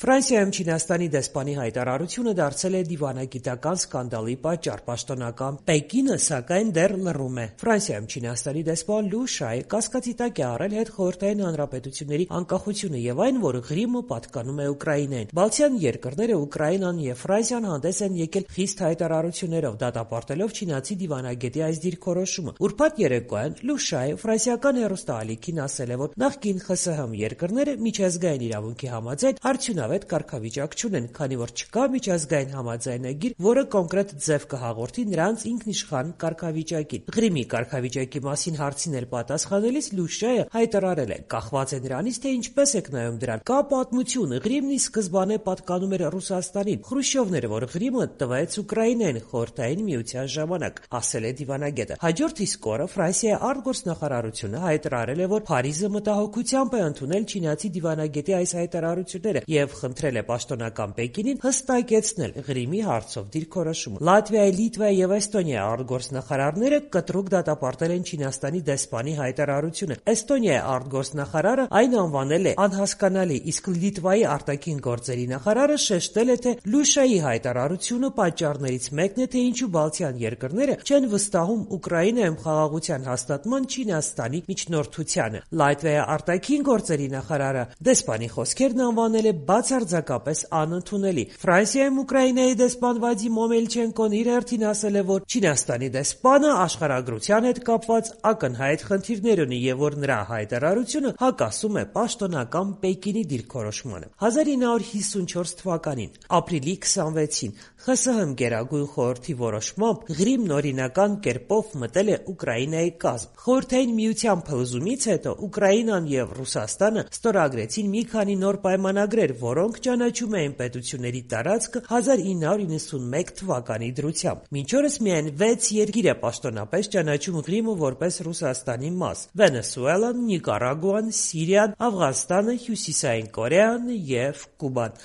Ֆրանսիայում Չինաստանի դեսպանի հայտարարությունը դարձել է դիվանագիտական սկանդալի պատճառ։ Պաշտոնական Պեկինը, սակայն, դեռ լռում է։ Ֆրանսիայում Չինաստանի դեսպան Լու Շայը կասկածի տակ է առել հետխորհրդային հանրապետությունների անկախությունը եւ այն, որ Ղրիմը պատկանում է Ուկրաինային։ Բալթյան երկրները, Ուկրաինան եւ Ֆրանսիան հանդես են եկել խիստ հայտարարություններով, դատապարտելով չինացի դիվանագետի այս դիրքորոշումը։ Ուրբաթ երեկոյան Լու Շայը ֆրանսիական հեռուստաալիքին ասել է, որ նախկին ԽՍՀՄ երկրները միջազգային իրավունքի համաձայն արդյունավետ կարգավիճակ չունեն, քանի որ չկա միջազգային համաձայնագիր, որը կոնկրետ ձև կհաղորդի նրանց ինքնիշխան կարգավիճակին։ Ղրիմի կարգավիճակի մասին հարցին էլ պատասխանելիս Լու Շայը հայտարարել է. «Կախված է նրանից, թե ինչպես եք նայում դրան։ Կա պատմություն, Ղրիմն ի սկզբանե պատկանում էր Ռուսաստանին։ Խրուշչովն էր, որ Ղրիմը տվեց Ուկրաինային Խորհրդային Միության ժամանակ», ասել է դիվանագետը։ Հաջորդ իսկ օրը Ֆրանսիայի արտգործնախարարությունը հայտարարել է, որ Փարիզը մտահոգությամբ է ընդունել չինացի դիվանագետի այս հայտարարությունները եւ խնդրել է պաշտոնական Պեկինին հստակեցնել Ղրիմի հարցով դիրքորոշումը։ Լատվիայի, Լիտվայի եւ Էստոնիայի արտգործնախարարները կտրուկ դատապարտել են Չինաստանի դեսպանի հայտարարությունը։ Էստոնիայի արտգործնախարարը այն անվանել է անհասկանալի, իսկ Լիտվայի արտաքին գործերի նախարարը շեշտել է, թե Լու Շայի հայտարարությունը պատճառներից մեկն է, թե ինչու Բալթյան երկրները չեն վստահում Ուկրաինայում խաղաղության հաստատման Չինաստանի միջնորդությանը։ Լատվիայի արտաքին գործերի նախարարը դեսպանի խոսքերն անվանել է բացարձակապես անընդունելի։ Ֆրանսիայում Ուկրաինայի դեսպան Վադիմ Օմելչենկոն իր հերթին ասել է, որ Չինաստանի դեսպանը աշխարհագրության հետ կապված ակնհայտ խնդիրներ ունի եւ որ նրա հայտարարությունը հակասում է պաշտոնական Պեկինի դիրքորոշմանը։ 1954 թվականին ապրիլի 26-ին ԽՍՀՄ Գերագույն խորհրդի որոշմամբ Ղրիմն օրինական կերպով մտել է Ուկրաինայի կազմ։ Խորհրդային Միության փլուզումից հետո Ուկրաինան եւ Ռուսաստանը ստորագրեցին մի քանի նոր պայմանագրեր, որոնք ճանաչում էին պետությունների տարածքը 1991 թվականի դրությամբ։ Մինչ օրս միայն 6 երկիր է պաշտոնապես ճանաչում Ղրիմը որպես Ռուսաստանի մաս՝ Վենեսուելան, Նիկարագուան, Սիրիան, Աֆղանստանը, Հյուսիսային Կորեան եւ Կուբան։